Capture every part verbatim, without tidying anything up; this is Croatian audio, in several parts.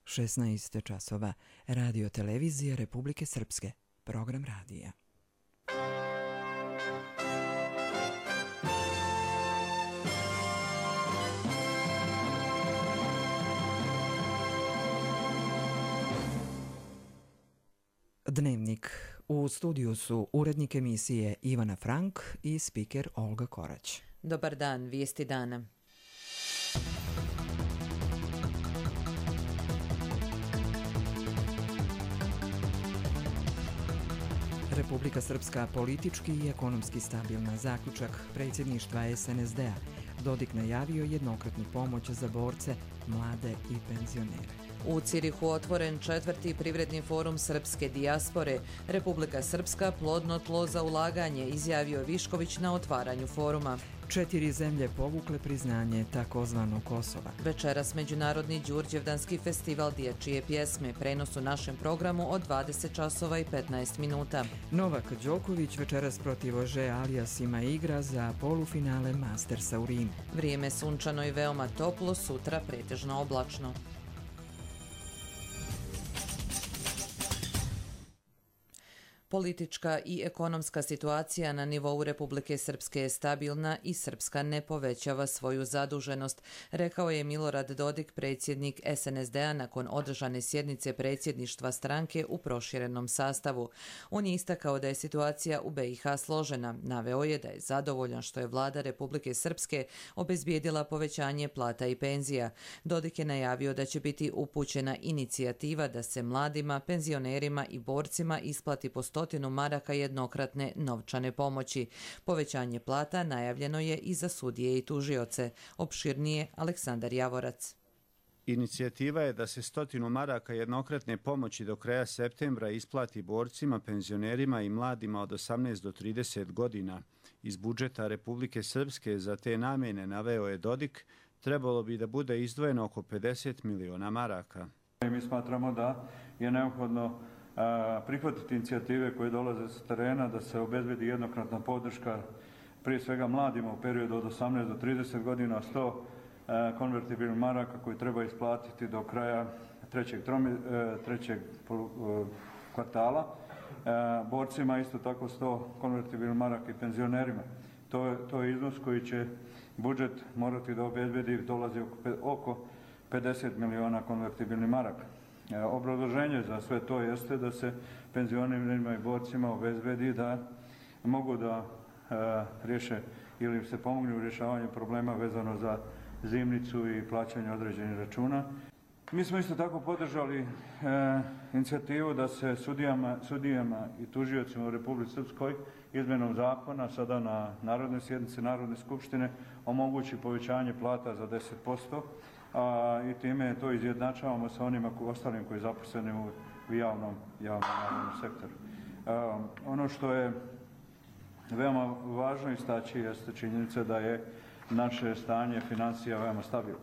šesnaest časova. Radio televizija Republike Srpske. Program radija. Dnevnik. U studiju su urednik emisije Ivana Frank i spiker Olga Korać. Dobar dan, vijesti dana. Republika Srpska politički i ekonomski stabilna. Zaključak predsjedništva es en es de a. Dodik najavio jednokratnu pomoć za borce, mlade i penzionere. U Cirihu otvoren četvrti privredni forum srpske dijaspore. Republika Srpska plodno tlo za ulaganje, izjavio Višković na otvaranju foruma. Četiri zemlje povukle priznanje takozvanog Kosova. Večeras Međunarodni Đurđevdanski festival dječje pjesme. Prenos u našem programu od dvadeset časova i petnaest minuta. Novak Đoković večeras protiv Ože Alijasima igra za polufinale Mastersa u Rimu. Vrijeme sunčano i veoma toplo, sutra pretežno oblačno. Politička i ekonomska situacija na nivou Republike Srpske je stabilna i Srpska ne povećava svoju zaduženost, rekao je Milorad Dodik, predsjednik es en es de a, nakon održane sjednice predsjedništva stranke u proširenom sastavu. On je istakao da je situacija u be i ha složena. Naveo je da je zadovoljan što je vlada Republike Srpske obezbijedila povećanje plata i penzija. Dodik je najavio da će biti upućena inicijativa da se mladima, penzionerima i borcima isplati po stotinu maraka jednokratne novčane pomoći. Povećanje plata najavljeno je i za sudije i tužioce. Opširnije Aleksandar Javorac. Inicijativa je da se stotinu maraka jednokratne pomoći do kraja septembra isplati borcima, penzionerima i mladima od osamnaest do trideset godina. Iz budžeta Republike Srpske za te namjene, naveo je Dodik, trebalo bi da bude izdvojeno oko pedeset miliona maraka. Mi smatramo da je neophodno prihvatiti inicijative koje dolaze sa terena, da se obezbedi jednokratna podrška prije svega mladima u periodu od osamnaest do trideset godina, sto konvertibilnih maraka koji treba isplatiti do kraja trećeg, tromi, trećeg kvartala. Borcima isto tako sto konvertibilnih maraka i penzionerima. To je, to je iznos koji će budžet morati da obezbedi, dolazi oko pedeset miliona konvertibilnih maraka. Obrazloženje za sve to jeste da se penzionerima i borcima obezbedi da mogu da e, riješe ili se pomogne u rješavanju problema vezano za zimnicu i plaćanje određenih računa. Mi smo isto tako podržali e, inicijativu da se sudijama, sudijama i tužiocima u Republici Srpskoj izmjenom zakona sada na Narodnoj sjednici Narodne skupštine omogući povećanje plata za deset posto. A, i time to izjednačavamo sa onima ko, ostalim koji zaposleni u, u javnom, javnom, javnom sektoru. A, ono što je veoma važno istaći jeste činjenica da je naše stanje financija veoma stabilno.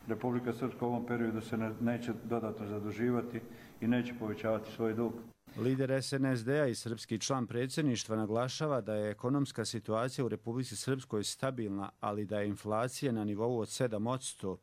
Republika Srpska u ovom periodu se ne, neće dodatno zaduživati i neće povećavati svoj dug. Lider es en es de a i srpski član predsjedništva naglašava da je ekonomska situacija u Republici Srpskoj stabilna, ali da je inflacija na nivou od sedam posto.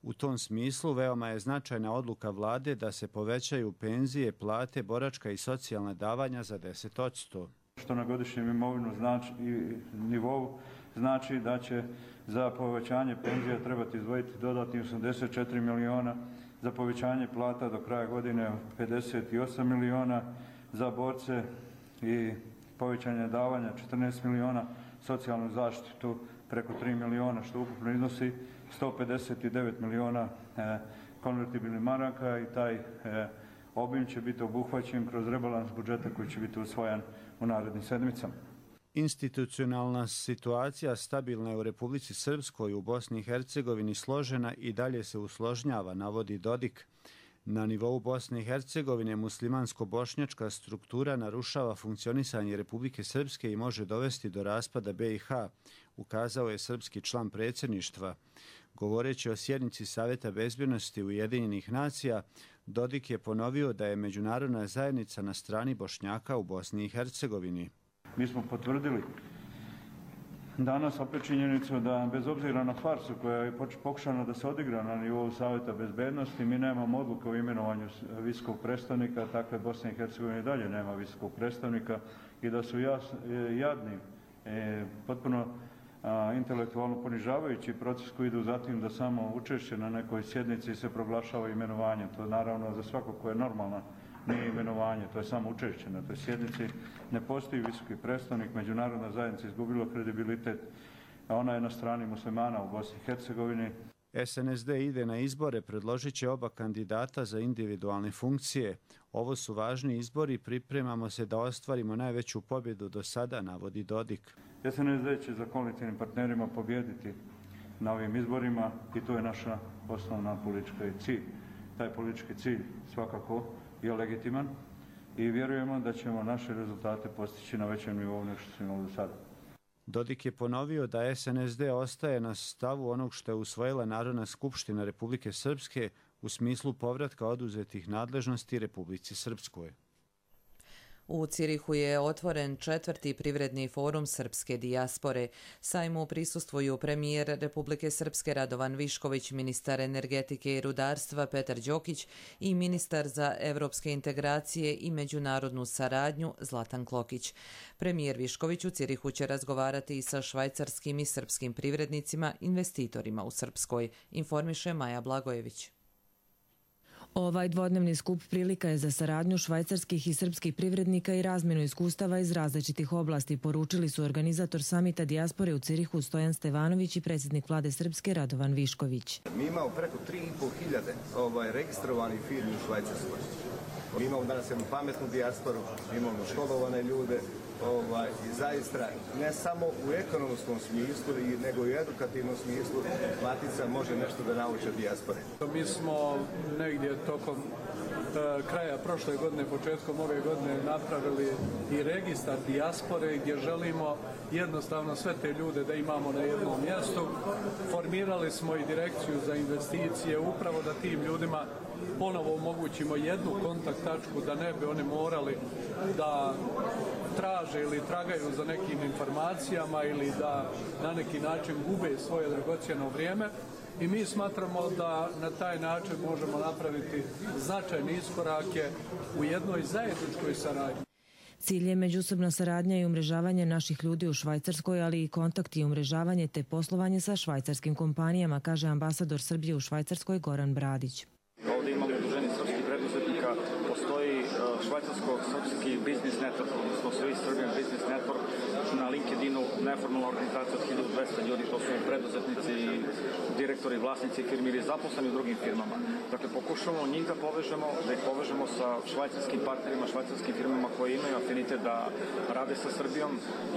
U tom smislu veoma je značajna odluka vlade da se povećaju penzije, plate, boračka i socijalna davanja za deset posto. Što na godišnjem imovinu znači, i nivou znači da će za povećanje penzija trebati izdvojiti dodatni osamdeset četiri miliona, za povećanje plata do kraja godine pedeset osam miliona, za borce i povećanje davanja četrnaest miliona, socijalnu zaštitu preko tri miliona, što ukupno iznosi sto pedeset devet miliona e, konvertibilnih maraka i taj e, obim će biti obuhvaćen kroz rebalans budžeta koji će biti usvojen u narednim sedmicama. Institucionalna situacija stabilna je u Republici Srpskoj, u Bosni i Hercegovini složena i dalje se usložnjava, navodi Dodik. Na nivou Bosne i Hercegovine muslimansko-bošnjačka struktura narušava funkcionisanje Republike Srpske i može dovesti do raspada be i ha, ukazao je srpski član predsjedništva. Govoreći o sjednici Savjeta bezbjednosti Ujedinjenih nacija, Dodik je ponovio da je međunarodna zajednica na strani Bošnjaka u Bosni i Hercegovini. Mi smo potvrdili danas opet činjenicu da bez obzira na farsu koja je pokušana da se odigra na nivou Savjeta bezbednosti, mi nemamo odluke o imenovanju visokog predstavnika, takve Bosne i Hercegovine dalje nema visokog predstavnika i da su jas, jadni, e, potpuno a, intelektualno ponižavajući proces koji idu zatim da samo učešće na nekoj sjednici se proglašava imenovanjem. To naravno za svakog ko je normalna nije imenovanje, to je samo učešće na toj sjednici. Ne postoji visoki predstavnik, međunarodna zajednica izgubila kredibilitet, a ona je na strani muslimana u Bosni i Hercegovini. S N S D ide na izbore, predložit će oba kandidata za individualne funkcije. Ovo su važni izbori, pripremamo se da ostvarimo najveću pobjedu do sada, navodi Dodik. S N S D će za koalicijnim partnerima pobjediti na ovim izborima i to je naša osnovna politička cilj. Taj politički cilj svakako je legitiman i vjerujemo da ćemo naše rezultate postići na većem nivou nego što smo imali do sada. Dodik je ponovio da S N S D ostaje na stavu onog što je usvojila Narodna skupština Republike Srpske u smislu povratka oduzetih nadležnosti Republici Srpskoj. U Cirihu je otvoren četvrti privredni forum srpske dijaspore. Sajmu prisustvuju premijer Republike Srpske Radovan Višković, ministar energetike i rudarstva Petar Đokić i ministar za evropske integracije i međunarodnu saradnju Zlatan Klokić. Premijer Višković u Cirihu će razgovarati i sa švajcarskim i srpskim privrednicima, investitorima u Srpskoj, informiše Maja Blagojević. Ovaj dvodnevni skup prilika je za saradnju švajcarskih i srpskih privrednika i razmjenu iskustava iz različitih oblasti, poručili su organizator samita dijaspore u Cirihu Stojan Stevanović i predsjednik vlade Srpske Radovan Višković. Mi imamo preko tri i pol hiljade ovaj, registrovanih firmi u Švajcarskoj. Mi imamo danas jednu pametnu dijasporu, imamo školovane ljude, ovaj, i zaista ne samo u ekonomskom smislu, nego i u edukativnom smislu Matica može nešto da nauči od dijaspore. Mi smo negdje tokom e, kraja prošle godine, početkom ove godine napravili i registar dijaspore gdje želimo jednostavno sve te ljude da imamo na jednom mjestu. Formirali smo i direkciju za investicije upravo da tim ljudima ponovo omogućimo jednu kontakt tačku da ne bi oni morali da traže ili tragaju za nekim informacijama ili da na neki način gube svoje dragocjeno vrijeme. I mi smatramo da na taj način možemo napraviti značajne iskorake u jednoj zajedničkoj saradnji. Cilj je međusobna saradnja i umrežavanje naših ljudi u Švajcarskoj, ali i kontakt i umrežavanje te poslovanje sa švajcarskim kompanijama, kaže ambasador Srbije u Švajcarskoj Goran Bradić. Ovdje imamo udruženje srpskih preduzetnika, postoji švajcarsko-srpski biznis network, odnosno Swiss Serbian Business Network, na LinkedInu neformalna organizacija od hiljadu dvesta ljudi, to su preduzetnici, direktori, vlasnici firmi ili zaposleni u drugim firmama. Dakle, pokušamo njih da povežemo, da ih povežemo sa švajcarskim partnerima, švajcarskim firmama koje imaju afinitet da rade sa Srbijom.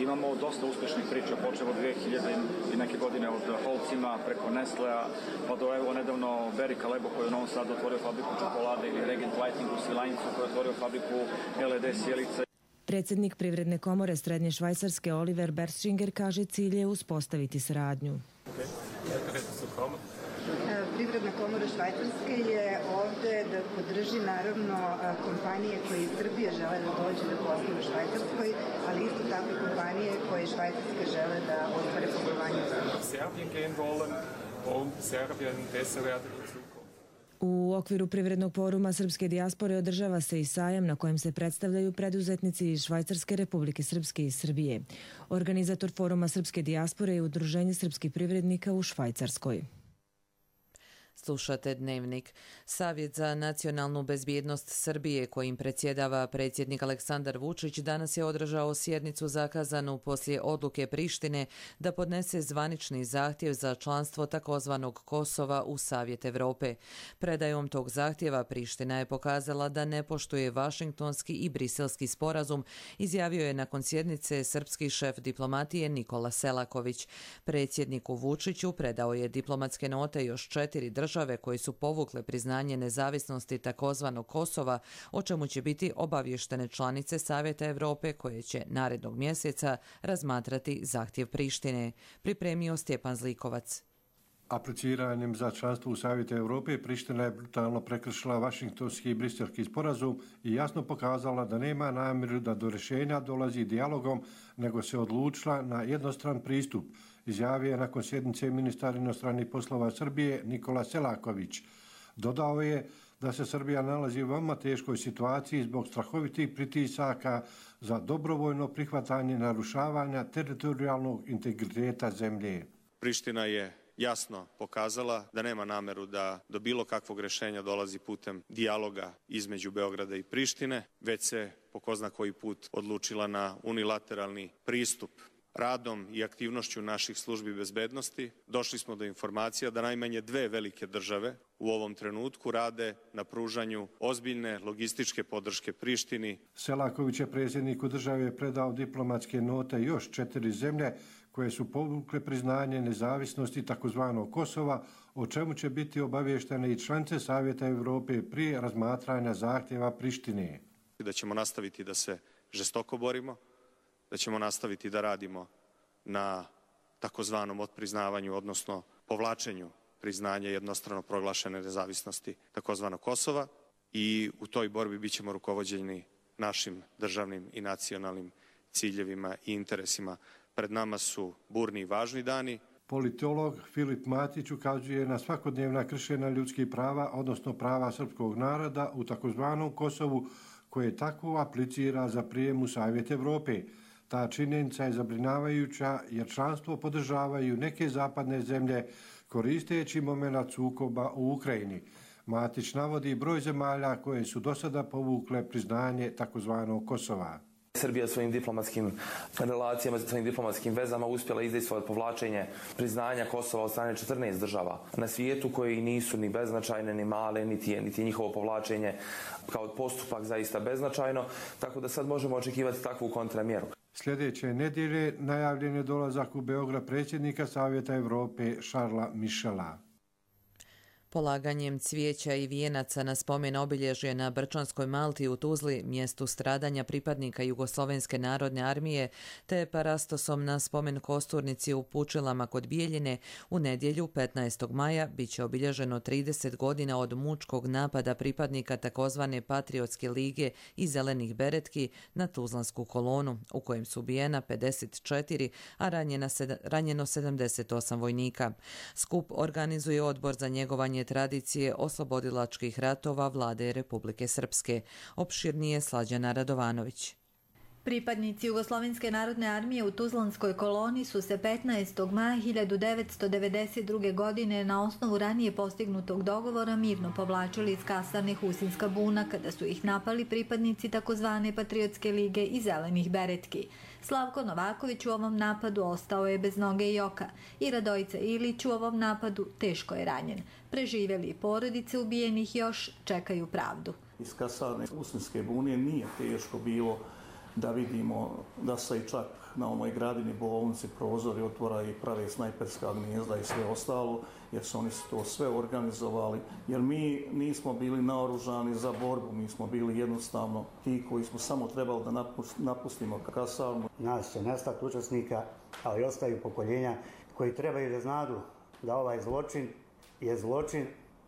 Imamo dosta uspješnih priča, počeo od dve hiljade i neke godine od Holcima, preko Nestlea, pa do evo nedavno Barry Callebaut koji je u Novom Sadu otvorio fabriku čokolade ili Regent Lighting u Svilajncu koji je otvorio fabriku L E D sjelice. Predsjednik Privredne komore Srednje Švajcarske Oliver Berschinger kaže cilj je uspostaviti saradnju. Privredna komora Švajcarske je ovdje da podrži naravno kompanije koje iz Srbije žele da dođe da posluju u Švajcarskoj, ali isto tako kompanije koje iz Švajcarske žele da ostvare poslovanje u Srbiji. U okviru Privrednog foruma srpske dijaspore održava se i sajam na kojem se predstavljaju preduzetnici iz Švajcarske, Republike Srpske i Srbije. Organizator foruma srpske dijaspore je Udruženje srpskih privrednika u Švajcarskoj. Slušate Dnevnik. Savjet za nacionalnu bezbjednost Srbije, kojim predsjedava predsjednik Aleksandar Vučić, danas je održao sjednicu zakazanu poslije odluke Prištine da podnese zvanični zahtjev za članstvo takozvanog Kosova u Savjet Evrope. Predajom tog zahtjeva Priština je pokazala da ne poštuje Vašingtonski i Briselski sporazum, izjavio je nakon sjednice srpski šef diplomatije Nikola Selaković. Predsjedniku Vučiću predao je diplomatske note još četiri države države koje su povukle priznanje nezavisnosti takozvanog Kosova, o čemu će biti obavještene članice Savjeta Evrope koje će narednog mjeseca razmatrati zahtjev Prištine, pripremio Stjepan Zlikovac. Apliciranjem za članstvo u Savjetu Europe Priština je brutalno prekršila Vašingtonski i Briselski sporazum i jasno pokazala da nema namjeru da do rješenja dolazi dijalogom, nego se odlučila na jednostran pristup, izjavio je nakon sjednice ministar inostranih poslova Srbije Nikola Selaković. Dodao je da se Srbija nalazi u veoma teškoj situaciji zbog strahovitih pritisaka za dobrovoljno prihvatanje narušavanja teritorijalnog integriteta zemlje. Priština je jasno pokazala da nema nameru da do bilo kakvog rješenja dolazi putem dijaloga između Beograda i Prištine, već se po ko zna koji put odlučila na unilateralni pristup. Radom i aktivnošću naših službi bezbednosti došli smo do informacija da najmanje dve velike države u ovom trenutku rade na pružanju ozbiljne logističke podrške Prištini. Selaković je predsjedniku države predao diplomatske note još četiri zemlje koje su povukle priznanje nezavisnosti takozvanog Kosova, o čemu će biti obavještene i članice Savjeta Europe prije razmatranja zahtjeva Prištine. Da ćemo nastaviti da se žestoko borimo, da ćemo nastaviti da radimo na takozvanom otpriznavanju, odnosno povlačenju priznanja jednostrano proglašene nezavisnosti takozvanog Kosova i u toj borbi bit ćemo rukovođeni našim državnim i nacionalnim ciljevima i interesima. Pred nama su burni i važni dani. Politolog Filip Matić ukazuje na svakodnevna kršenja ljudskih prava, odnosno prava srpskog naroda u takozvanom Kosovu, koje tako aplicira za prijem u Savjet Europe. Ta činjenica je zabrinjavajuća jer članstvo podržavaju neke zapadne zemlje koristeći momenat sukoba u Ukrajini. Matić navodi broj zemalja koje su do sada povukle priznanje takozvanog Kosova. Srbija svojim diplomatskim relacijama, svojim diplomatskim vezama uspjela izdejstvovati povlačenje priznanja Kosova od strane četrnaest država na svijetu koji nisu ni beznačajne, ni male, niti je, niti je njihovo povlačenje kao postupak zaista beznačajno, tako da sad možemo očekivati takvu kontramjeru. Sljedeće nedjelje najavljen je dolazak u Beograd predsjednika Savjeta Europe Šarla Mišela. Polaganjem cvijeća i vijenaca na spomen obilježje na Brčanskoj Malti u Tuzli, mjestu stradanja pripadnika Jugoslovenske narodne armije, te parastosom na spomen kosturnici u Pučilama kod Bijeljine, u nedjelju petnaestog maja bit će obilježeno trideset godina od mučkog napada pripadnika takozvane Patriotske lige i Zelenih beretki na Tuzlansku kolonu, u kojem su ubijena pedeset četiri, a ranjena sed, ranjeno sedamdeset osam vojnika. Skup organizuje Odbor za njegovanje tradicije oslobodilačkih ratova Vlade Republike Srpske. Opširnije Slađana Radovanović. Pripadnici Jugoslovenske narodne armije u Tuzlanskoj koloni su se petnaestog maja hiljadu devetsto devedeset druge. godine na osnovu ranije postignutog dogovora mirno povlačili iz kasarne Husinska buna kada su ih napali pripadnici takozvane Patriotske lige i Zelenih beretki. Slavko Novaković u ovom napadu ostao je bez noge i oka i Radojica Ilić u ovom napadu teško je ranjen. Preživjeli porodice ubijenih još čekaju pravdu. Iz kasarne Husinske bune nije teško bilo da vidimo da se i čak na onoj gradini bolnici prozori otvora i prave snajperska gnijezda i sve ostalo, jer su oni to sve organizovali. Jer mi nismo bili naoružani za borbu, mi smo bili jednostavno ti koji smo samo trebali da napustimo kasarnu. Nas će nestati učesnika, ali ostaju pokoljenja koji trebaju da znadu da ovaj zločin je zločin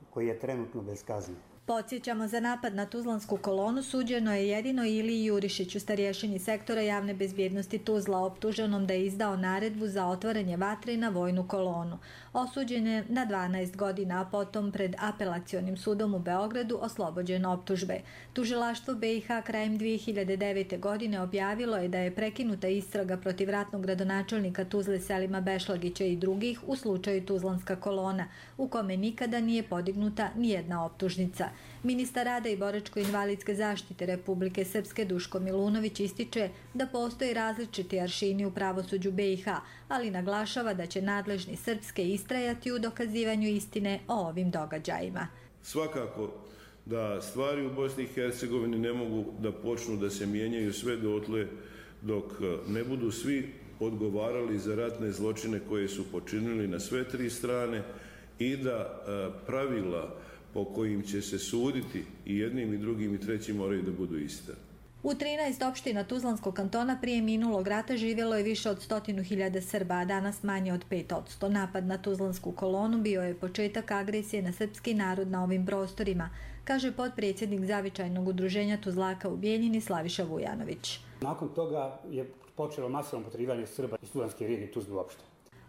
koji je trenutno bez kazne. Podsjećamo, za napad na Tuzlansku kolonu suđeno je jedino Iliji Jurišiću, starješini sektora javne bezbjednosti Tuzla, optuženom da je izdao naredbu za otvaranje vatre na vojnu kolonu. Osuđen je na dvanaest godina, a potom pred apelacionim sudom u Beogradu oslobođen optužbe. Tužilaštvo B i H krajem dvije hiljade devete. godine objavilo je da je prekinuta istraga protiv ratnog gradonačelnika Tuzle Selima Bešlagića i drugih u slučaju Tuzlanska kolona, u kome nikada nije podignuta nijedna optužnica. Ministar rada i boračko-invalidske zaštite Republike Srpske Duško Milunović ističe da postoji različiti aršini u pravosuđu B i H, ali naglašava da će nadležni srpske istrajati u dokazivanju istine o ovim događajima. Svakako da stvari u Bosni i Hercegovini ne mogu da počnu da se mijenjaju sve dotle dok ne budu svi odgovarali za ratne zločine koje su počinili na sve tri strane i da pravila po kojim će se suditi i jednim i drugim i trećim moraju da budu iste. U trinaest opština Tuzlanskog kantona prije minulog rata živjelo je više od stotinu hiljada Srba, a danas manje od pet posto. Napad na Tuzlansku kolonu bio je početak agresije na srpski narod na ovim prostorima, kaže potpredsjednik Zavičajnog udruženja Tuzlaka u Bijeljini Slaviša Vujanović. Nakon toga je počelo masovno potjerivanje Srba iz Tuzlanske regije Tuzlu uopšte.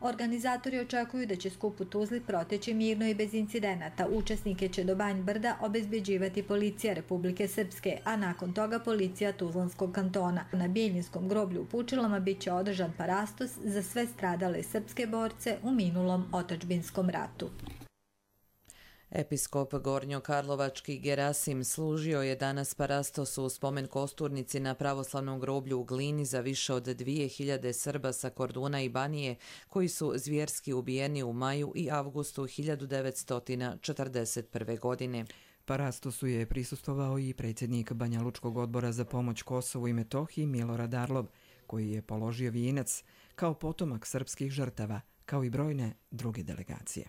Organizatori očekuju da će skup u Tuzli proteći mirno i bez incidenata. Učesnike će do Banj Brda obezbeđivati policija Republike Srpske, a nakon toga policija Tuzlanskog kantona. Na Bijeljinskom groblju u Pučilama bit će održan parastos za sve stradale srpske borce u minulom otadžbinskom ratu. Episkop Gornjokarlovački Gerasim služio je danas parastos u spomen kosturnici na pravoslavnom groblju u Glini za više od dvije hiljade Srba sa Korduna i Banije koji su zvjerski ubijeni u maju i avgustu hiljadu devetsto četrdeset prve. godine. Parastosu je prisustvovao i predsjednik Banjalučkog odbora za pomoć Kosovu i Metohiji Milorad Arlob, koji je položio vijenac kao potomak srpskih žrtava, kao i brojne druge delegacije.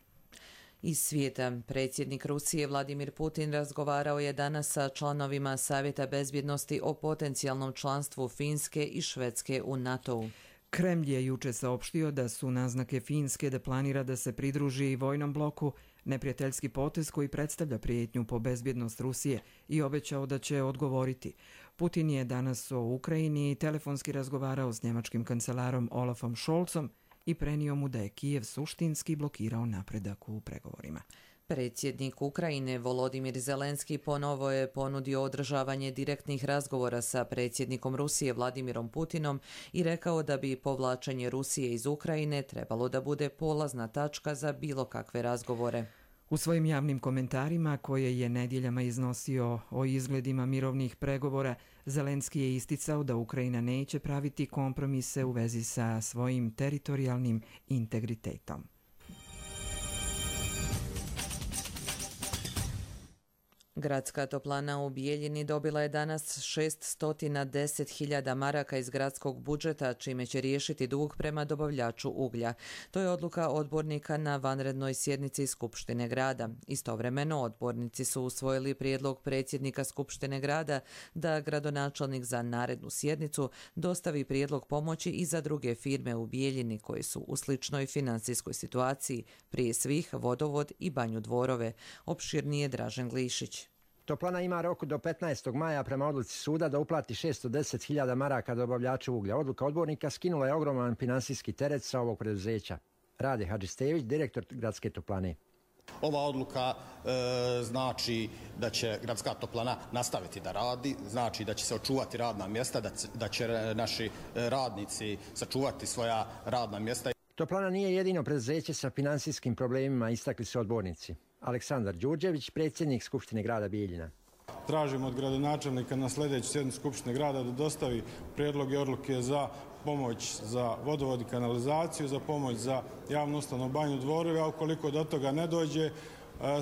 Iz svijeta, predsjednik Rusije Vladimir Putin razgovarao je danas sa članovima Savjeta bezbjednosti o potencijalnom članstvu Finske i Švedske u NATO-u. Kremlj je juče saopštio da su naznake Finske da planira da se pridruži vojnom bloku neprijateljski potez koji predstavlja prijetnju po bezbjednost Rusije i obećao da će odgovoriti. Putin je danas o Ukrajini telefonski razgovarao s njemačkim kancelarom Olafom Scholzom i prenio mu da je Kijev suštinski blokirao napredak u pregovorima. Predsjednik Ukrajine Volodimir Zelenski ponovo je ponudio održavanje direktnih razgovora sa predsjednikom Rusije Vladimirom Putinom i rekao da bi povlačenje Rusije iz Ukrajine trebalo da bude polazna tačka za bilo kakve razgovore. U svojim javnim komentarima koje je nedjeljama iznosio o izgledima mirovnih pregovora, Zelenski je isticao da Ukrajina neće praviti kompromise u vezi sa svojim teritorijalnim integritetom. Gradska toplana u Bijeljini dobila je danas šeststo deset hiljada maraka iz gradskog budžeta, čime će riješiti dug prema dobavljaču uglja. To je odluka odbornika na vanrednoj sjednici Skupštine grada. Istovremeno, odbornici su usvojili prijedlog predsjednika Skupštine grada da gradonačelnik za narednu sjednicu dostavi prijedlog pomoći i za druge firme u Bijeljini koji su u sličnoj financijskoj situaciji, prije svih Vodovod i Banju Dvorove. Opširnije Dražen Glišić. Toplana ima rok do petnaestog maja prema odluci suda da uplati šeststo deset hiljada maraka dobavljaču uglja. Odluka odbornika skinula je ogroman finansijski teret sa ovog preduzeća. Rade Hadžistević, direktor Gradske toplane. Ova odluka e, znači da će Gradska toplana nastaviti da radi, znači da će se očuvati radna mjesta, da, da će naši radnici sačuvati svoja radna mjesta. Toplana nije jedino preduzeće sa finansijskim problemima, istakli su odbornici. Aleksandar Đurđević, predsjednik Skupštine grada Bijeljina. Tražimo od gradonačelnika na sljedeću sjednicu Skupštine grada da dostavi prijedloge odluke za pomoć za vodovod i kanalizaciju, za pomoć za javnu ustanovu Banju Dvorove, a ukoliko do toga ne dođe,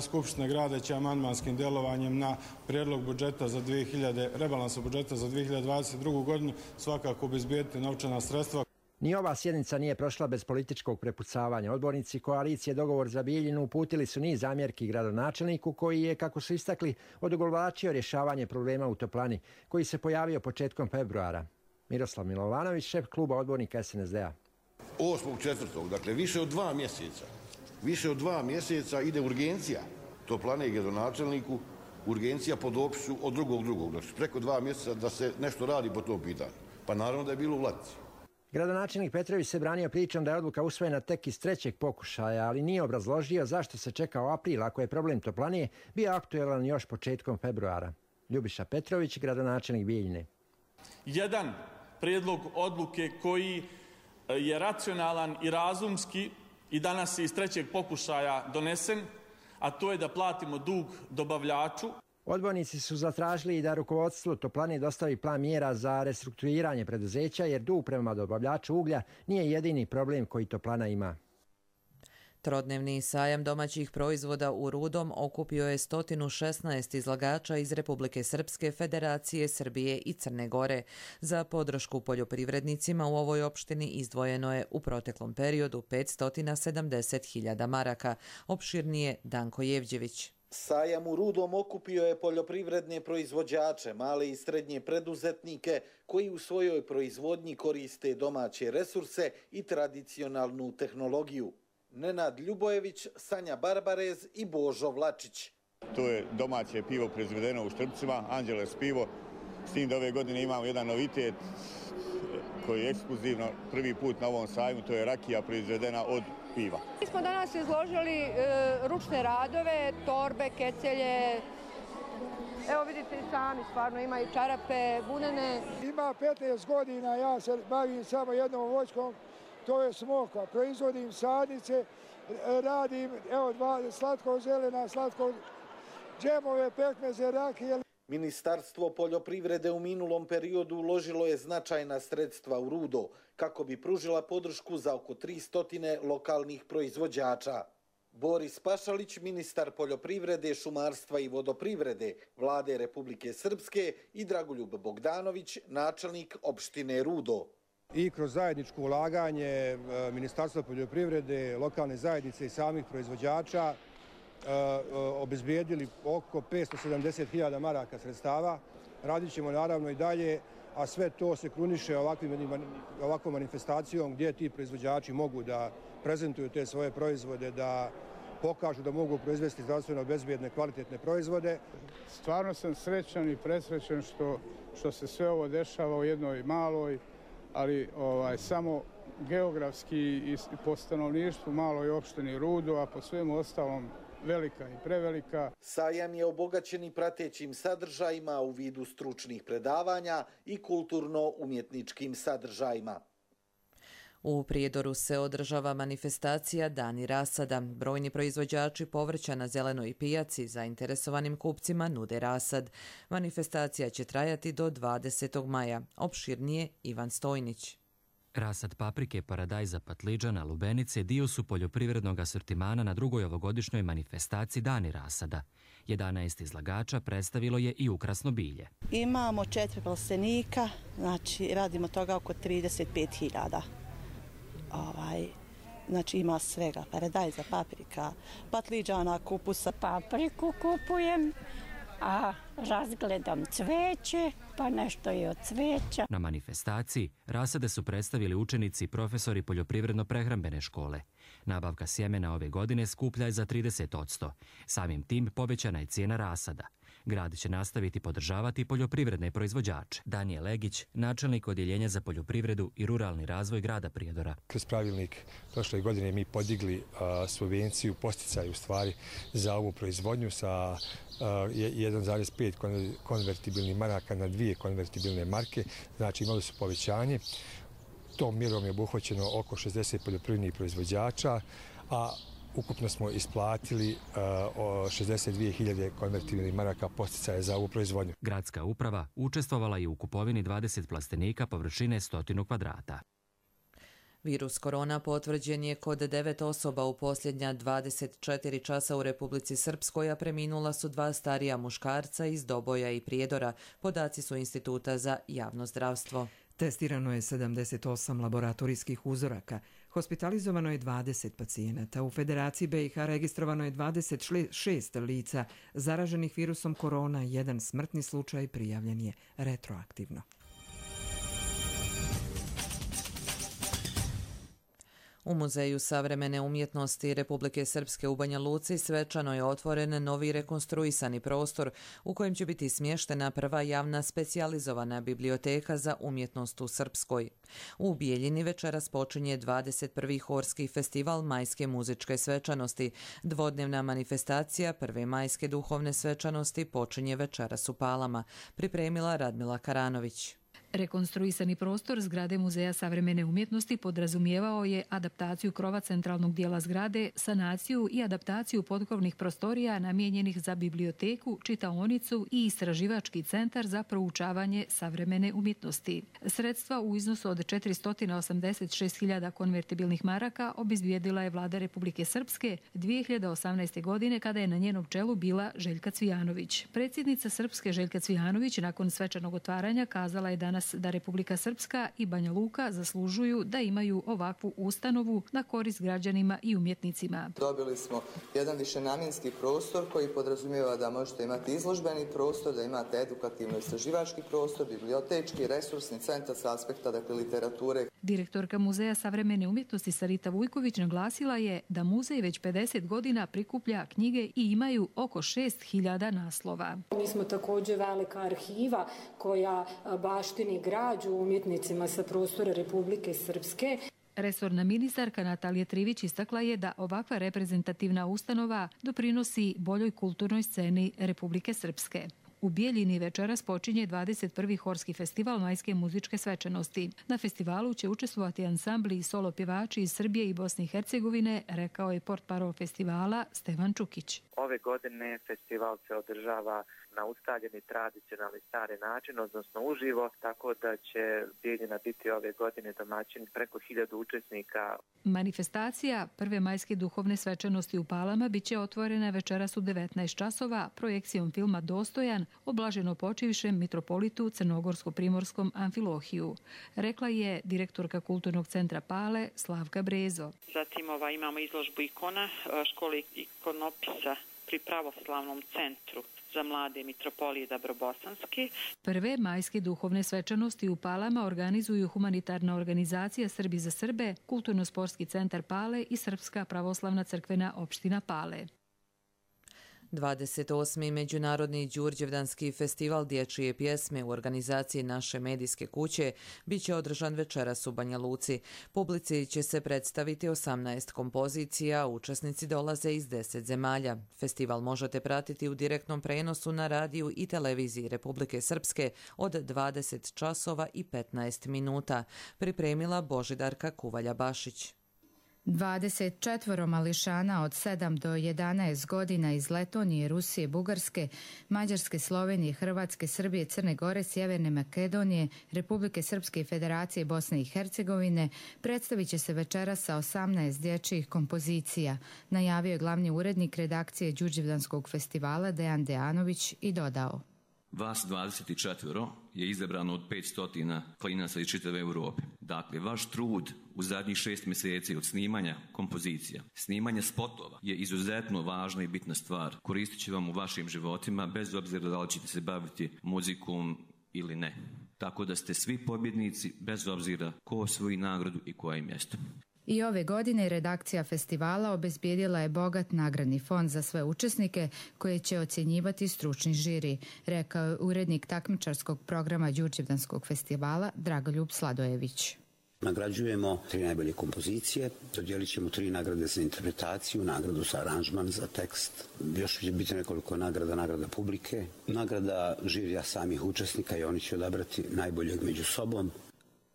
Skupština grada će amandmanskim djelovanjem na prijedlog budžeta za dvije hiljade, rebalansa budžeta za dvije hiljade dvadeset drugu. godinu svakako obezbijeti novčana sredstva. Ni ova sjednica nije prošla bez političkog prepucavanja. Odbornici koalicije Dogovor za Bijeljinu uputili su niz zamjerki gradonačelniku koji je, kako su istakli, odugovlačio rješavanje problema u toplani, koji se pojavio početkom februara. Miroslav Milovanović, šef kluba odbornika es en es de a. osmog četvrtog dakle više od dva mjeseca, više od dva mjeseca ide urgencija toplane i gradonačelniku, urgencija po dopisu od drugog drugog. Znači preko dva mjeseca da se nešto radi po tom pitanju. Pa naravno da je bilo u ladici. Gradonačelnik Petrović se branio pričom da je odluka usvojena tek iz trećeg pokušaja, ali nije obrazložio zašto se čekao april ako je problem toplane bio aktuelan još početkom februara. Ljubiša Petrović, gradonačelnik Bijeljine. Jedan prijedlog odluke koji je racionalan i razumski i danas je iz trećeg pokušaja donesen, a to je da platimo dug dobavljaču. Odbornici su zatražili i da rukovodstvo toplane dostavi plan mjera za restrukturiranje preduzeća, jer dug prema dobavljaču uglja nije jedini problem koji toplana ima. Trodnevni sajam domaćih proizvoda u Rudom okupio je sto šesnaest izlagača iz Republike Srpske, Federacije Srbije i Crne Gore. Za podršku poljoprivrednicima u ovoj opštini izdvojeno je u proteklom periodu petsto sedamdeset hiljada maraka. Opširnije Danko Jevđević. Sajam u Rudom okupio je poljoprivredne proizvođače, male i srednje preduzetnike koji u svojoj proizvodnji koriste domaće resurse i tradicionalnu tehnologiju. Nenad Ljubojević, Sanja Barbarez i Božo Vlačić. To je domaće pivo proizvedeno u Štrpcima, Anđeles pivo. S tim da ove godine imamo jedan novitet koji je ekskluzivno prvi put na ovom sajmu, to je rakija proizvedena od piva. Mi smo danas izložili e, ručne radove, torbe, kecelje. Evo vidite i sami, stvarno ima i čarape, bunene. Ima petnaest godina, ja se bavim samo jednom voćkom, to je smoka. Proizvodim sadnice, radim evo dva slatko zelena, slatko džemove, pekmeze, rakije. Ministarstvo poljoprivrede u minulom periodu uložilo je značajna sredstva u Rudo kako bi pružila podršku za oko tristo lokalnih proizvođača. Boris Pašalić, ministar poljoprivrede, šumarstva i vodoprivrede Vlade Republike Srpske i Dragoljub Bogdanović, načelnik opštine Rudo. I kroz zajedničko ulaganje Ministarstva poljoprivrede, lokalne zajednice i samih proizvođača obezbijedili oko petsto sedamdeset hiljada maraka sredstava. Radit ćemo naravno i dalje, a sve to se kruniše ovakvom manifestacijom gdje ti proizvođači mogu da prezentuju te svoje proizvode, da pokažu da mogu proizvesti zdravstveno bezbjedne, kvalitetne proizvode. Stvarno sam srećan i presrećan što, što se sve ovo dešava u jednoj maloj, ali ovaj, samo geografski i po stanovništvu maloj opštini Rudo, a po svemu ostalom velika i prevelika. Sajam je obogaćen i pratećim sadržajima u vidu stručnih predavanja i kulturno-umjetničkim sadržajima. U Prijedoru se održava manifestacija Dani rasada. Brojni proizvođači povrća na zelenoj pijaci zainteresovanim kupcima nude rasad. Manifestacija će trajati do dvadesetog maja. Opširnije Ivan Stojnić. Rasad paprike, paradajza, patliđana, lubenice dio su poljoprivrednog asortimana na drugoj ovogodišnjoj manifestaciji Dani rasada. jedanaest izlagača predstavilo je i ukrasno bilje. Imamo četiri plastenika, znači radimo toga oko trideset pet hiljada. Ovaj, znači ima svega, paradajza, paprika, patliđana, kupusa. Papriku kupujem, a razgledam cveće, pa nešto i od cveća. Na manifestaciji rasade su predstavili učenici i profesori poljoprivredno-prehrambene škole. Nabavka sjemena ove godine skuplja je za trideset posto. Samim tim povećana je cijena rasada. Grad će nastaviti podržavati poljoprivredne proizvođače. Danijel Legić, načelnik Odjeljenja za poljoprivredu i ruralni razvoj grada Prijedora. Kroz pravilnik prošle godine mi podigli a, subvenciju, posticaj u stvari za ovu proizvodnju sa jedan zarez pet konvertibilnih maraka na dvije konvertibilne marke. Znači imali su povećanje. Tom mjerom je obuhvaćeno oko šezdeset poljoprivrednih proizvođača, a ukupno smo isplatili uh, šezdeset dvije hiljade konvertibilnih maraka posticaja za ovu proizvodnju. Gradska uprava učestvovala je u kupovini dvadeset plastenika površine stotinu kvadrata. Virus korona potvrđen je kod devet osoba u posljednja dvadeset četiri časa u Republici Srpskoj, a preminula su dva starija muškarca iz Doboja i Prijedora. Podaci su Instituta za javno zdravstvo. Testirano je sedamdeset osam laboratorijskih uzoraka. Hospitalizovano je dvadeset pacijenata. U Federaciji B i H registrovano je dvadeset šest lica zaraženih virusom korona. Jedan smrtni slučaj prijavljen je retroaktivno. U Muzeju savremene umjetnosti Republike Srpske u Banja Luci svečano je otvoren novi rekonstruisani prostor u kojem će biti smještena prva javna specijalizovana biblioteka za umjetnost u Srpskoj. U Bijeljini večeras počinje dvadeset prvi Horski festival majske muzičke svečanosti. Dvodnevna manifestacija prve majske duhovne svečanosti počinje večeras u Palama, pripremila Radmila Karanović. Rekonstruisani prostor zgrade Muzeja savremene umjetnosti podrazumijevao je adaptaciju krova centralnog dijela zgrade, sanaciju i adaptaciju potkrovnih prostorija namijenjenih za biblioteku, čitaonicu i istraživački centar za proučavanje savremene umjetnosti. Sredstva u iznosu od četiristo osamdeset šest hiljada konvertibilnih maraka obezbijedila je vlada Republike Srpske dvije hiljade osamnaeste. godine kada je na njenom čelu bila Željka Cvijanović. Predsjednica Srpske Željka Cvijanović nakon svečanog otvaranja kazala je danas nas da Republika Srpska i Banja Luka zaslužuju da imaju ovakvu ustanovu na korist građanima i umjetnicima. Dobili smo jedan višenamjenski prostor koji podrazumijeva da možete imati izložbeni prostor, da imate edukativno-istraživački prostor, bibliotečki, resursni centar s aspekta dakle, literature. Direktorka Muzeja savremene umjetnosti Sarita Vujković naglasila je da muzej već pedeset godina prikuplja knjige i imaju oko šest hiljada naslova. Mi smo također velika arhiva koja baštini građu umjetnicima sa prostora Republike Srpske. Resorna ministarka Natalija Trivić istakla je da ovakva reprezentativna ustanova doprinosi boljoj kulturnoj sceni Republike Srpske. U Bijeljini večeras počinje dvadeset prvi Horski festival majske muzičke svečanosti. Na festivalu će učestvovati ansambli i solo pjevači iz Srbije i Bosne i Hercegovine, rekao je portparol festivala Stevan Čukić. Ove godine festival se održava na ustaljeni tradicionalni stari način, odnosno uživo, tako da će Bijeljina biti ove godine domaćin preko hiljadu učesnika. Manifestacija prve majske duhovne svečanosti u Palama biće otvorena večeras u devetnaest časova projekcijom filma Dostojan o blaženo počivšem mitropolitu Crnogorsko-primorskom Amfilohiju, rekla je direktorka Kulturnog centra Pale Slavka Brezo. Zatim ova, imamo izložbu ikona škole ikonopisa pri pravoslavnom centru za mlade mitropolije Dabrobosanski. Prve majske duhovne svečanosti u Palama organizuju humanitarna organizacija Srbi za Srbe, Kulturno-sportski centar Pale i Srpska pravoslavna crkvena opština Pale. dvadeset osmi Međunarodni Đurđevdanski festival dječje pjesme u organizaciji naše medijske kuće biće održan večeras u Banja Luci. Publici će se predstaviti osamnaest kompozicija, učesnici dolaze iz deset zemalja. Festival možete pratiti u direktnom prenosu na radiju i televiziji Republike Srpske od dvadeset časova i petnaest minuta. Pripremila Božidarka Kuvalja-Bašić. dvadeset četvoro mališana od sedam do jedanaest godina iz Letonije, Rusije, Bugarske, Mađarske, Slovenije, Hrvatske, Srbije, Crne Gore, Sjeverne Makedonije, Republike Srpske i Federacije Bosne i Hercegovine predstavit će se večeras sa osamnaest dječjih kompozicija, najavio je glavni urednik redakcije Đurđevdanskog festivala Dejan Dejanović i dodao. Vas dvadeset četiri je izabrano od petsto klinaca iz čitave Europe. Dakle, vaš trud u zadnjih šest mjeseci od snimanja kompozicija, snimanja spotova je izuzetno važna i bitna stvar. Koristit će vam u vašim životima bez obzira da li ćete se baviti muzikom ili ne. Tako da ste svi pobjednici bez obzira ko osvoji nagradu i koje mjesto. I ove godine redakcija festivala obezbijedila je bogat nagradni fond za sve učesnike koje će ocjenjivati stručni žiri, rekao je urednik takmičarskog programa Đurđevdanskog festivala Dragoljub Sladojević. Nagrađujemo tri najbolje kompozicije, dodijelit ćemo tri nagrade za interpretaciju, nagradu za aranžman, za tekst. Još će biti nekoliko nagrada, nagrada publike, nagrada žirija samih učesnika i oni će odabrati najboljeg među sobom.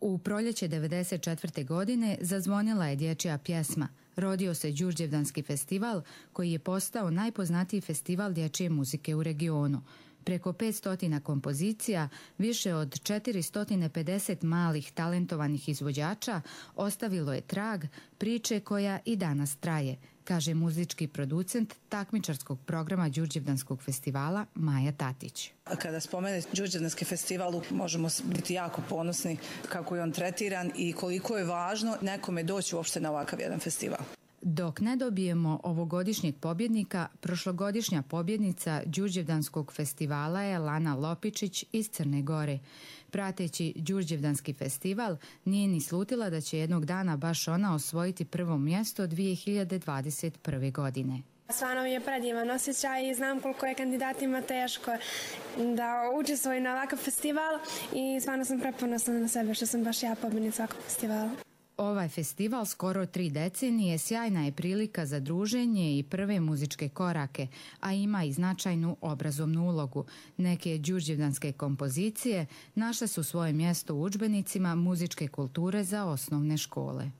U proljeće devedeset četvrte. godine zazvonila je dječja pjesma. Rodio se Đurđevdanski festival koji je postao najpoznatiji festival dječje muzike u regionu. Preko petsto kompozicija, više od četiristo pedeset malih talentovanih izvođača ostavilo je trag priče koja i danas traje, kaže muzički producent takmičarskog programa Đurđevdanskog festivala Maja Tatić. Kada spomene Đurđevdanski festival možemo biti jako ponosni kako je on tretiran i koliko je važno nekome doći uopšte na ovakav jedan festival. Dok ne dobijemo ovogodišnjeg pobjednika, prošlogodišnja pobjednica Đurđevdanskog festivala je Lana Lopičić iz Crne Gore. Prateći Đurđevdanski festival, nije ni slutila da će jednog dana baš ona osvojiti prvo mjesto dvije hiljade dvadeset prve. godine. Stvarno mi je predivan osjećaj i znam koliko je kandidatima teško da učestvuju na ovakav festival i stvarno sam preponosna na sebe što sam baš ja pobjednica ovakvog festivala. Ovaj festival skoro tri decenije sjajna je prilika za druženje i prve muzičke korake, a ima i značajnu obrazovnu ulogu. Neke đurđevdanske kompozicije našle su svoje mjesto u udžbenicima muzičke kulture za osnovne škole.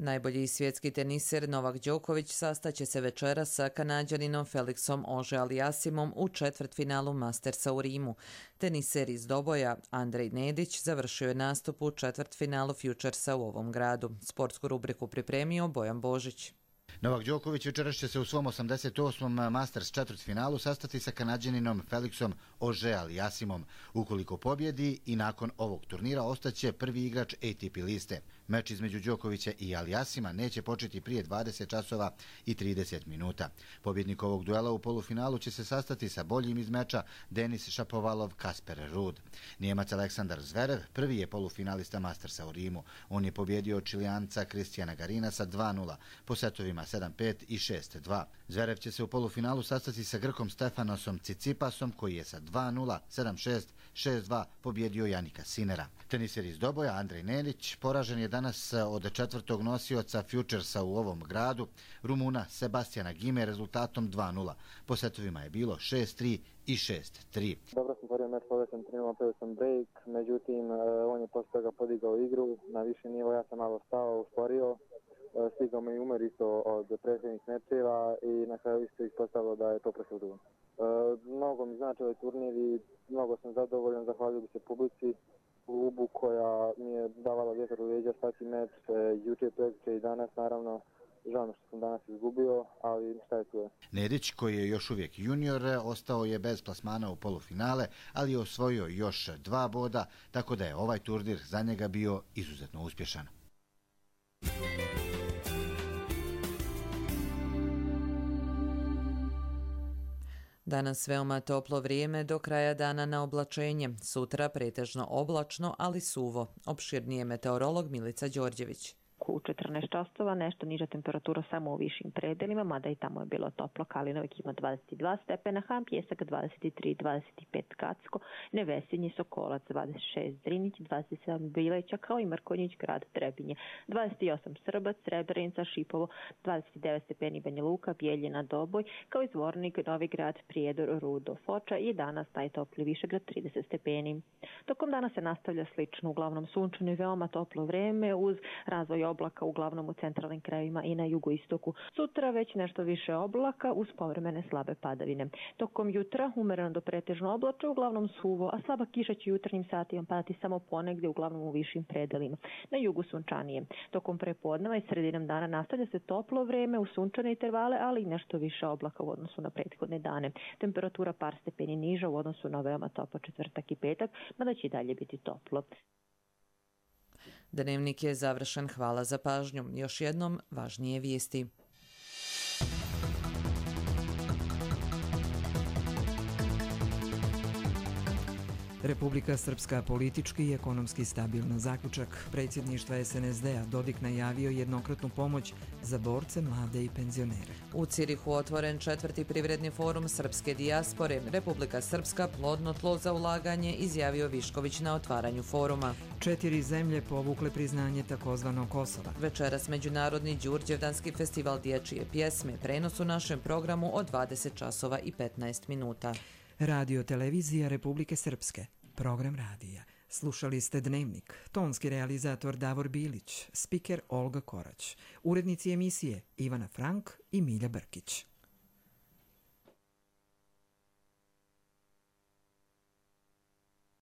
Najbolji svjetski teniser Novak Đoković sastaće se večeras sa Kanađaninom Felixom Auger-Aliassimom u četvrtfinalu Mastersa u Rimu. Teniser iz Doboja Andrej Nedić završio je nastup u četvrtfinalu Futuresa u ovom gradu. Sportsku rubriku pripremio Bojan Božić. Novak Đoković večeras će se u svom osamdeset osmom Masters četvrtfinalu sastati sa Kanađaninom Felixom Auger-Aliassimom. Ukoliko pobjedi i nakon ovog turnira ostaće prvi igrač A T P liste. Meč između Đokovića i Aliassima neće početi prije dvadeset časova i trideset minuta. Pobjednik ovog duela u polufinalu će se sastati sa boljim iz meča Denis Šapovalov-Kasper Ruud. Nijemac Aleksandar Zverev prvi je polufinalista Mastersa u Rimu. On je pobjedio Čilijanca Kristijana Garina sa dva nula po setovima sedam pet i šest dva. Zverev će se u polufinalu sastati sa Grkom Stefanosom Cicipasom koji je sa dva nula, sedam šest, šest dva pobjedio Janika Sinera. Teniser iz Doboja Andrej Nelić poražen je danas od četvrtog nosioca Futuresa u ovom gradu, Rumuna Sebastijana Gime rezultatom dva nula. Po setovima je bilo šest tri i šest tri. Dobro sam tvorio meč, poveo sam tri nula, poveo sam break, međutim on je posle toga podigao igru na viši nivo, ja sam malo stao, usporio, stigao me i umor isto od prethodnih mečeva i na kraju isto ispostavilo da je to prošlo dugo. Mnogo mi znači ovaj turnir i mnogo sam zadovoljan, zahvalio bi se publici, klubu koja mi je davala vjetar u leđa svaki meč, juče, prekjuče i danas naravno. Žao mi što sam danas izgubio, ali šta je tu je. Nedić, koji je još uvijek junior, ostao je bez plasmana u polufinale, ali je osvojio još dva boda, tako da je ovaj turnir za njega bio izuzetno uspješan. Danas veoma toplo vrijeme, do kraja dana na oblačenje. Sutra pretežno oblačno, ali suvo. Opširnije meteorolog Milica Đorđević. U četrnaest časova nešto niža temperatura samo u višim predelima, mada i tamo je bilo toplo. Kalinovik ima dvadeset dva stepena, Ham Pjesak dvadeset tri dvadeset pet Kacko, Nevesinje Sokolac dvadeset šest Drinić, dvadeset sedam Bileća, kao i Mrkonjić grad Trebinje, dvadeset osam Srbac, Srebrenica, Šipovo, dvadeset devet stepeni Banja Luka, Bijeljina, Doboj, kao i Zvornik, Novi Grad, Prijedor, Rudo, Foča i danas najtopliji Višegrad trideset stepeni. Tokom dana se nastavlja slično, uglavnom sunčano i veoma toplo vreme uz razvoj oblaka uglavnom u centralnim krajevima i na jugoistoku. Sutra već nešto više oblaka uz povremene slabe padavine. Tokom jutra umereno do pretežno oblačno, uglavnom suvo, a slaba kiša će jutarnjim satima padati samo ponegdje, uglavnom u višim predelima. Na jugu sunčanije. Tokom prepodneva i sredinom dana nastavlja se toplo vreme u sunčane intervale, ali i nešto više oblaka u odnosu na prethodne dane. Temperatura par stepeni niža u odnosu na veoma toplo četvrtak i petak, mada će i dalje biti toplo. Dnevnik je završen, hvala za pažnju. Još jednom važnije vijesti. Republika Srpska politički i ekonomski stabilna. Zaključak predsjedništva S N S D-a. Dodik najavio jednokratnu pomoć za borce, mlade i penzionere. U Cirihu otvoren četvrti privredni forum srpske dijaspore. Republika Srpska plodno tlo za ulaganje, izjavio Višković na otvaranju foruma. Četiri zemlje povukle priznanje takozvanog Kosova. Večeras Međunarodni Đurđevdanski festival dječje pjesme. Prenos u našem programu od dvadeset časova i petnaest minuta. Radio televizija Republike Srpske. Program radija. Slušali ste Dnevnik. Tonski realizator Davor Bilić. Spiker Olga Korać. Urednici emisije Ivana Frank i Milja Brkić.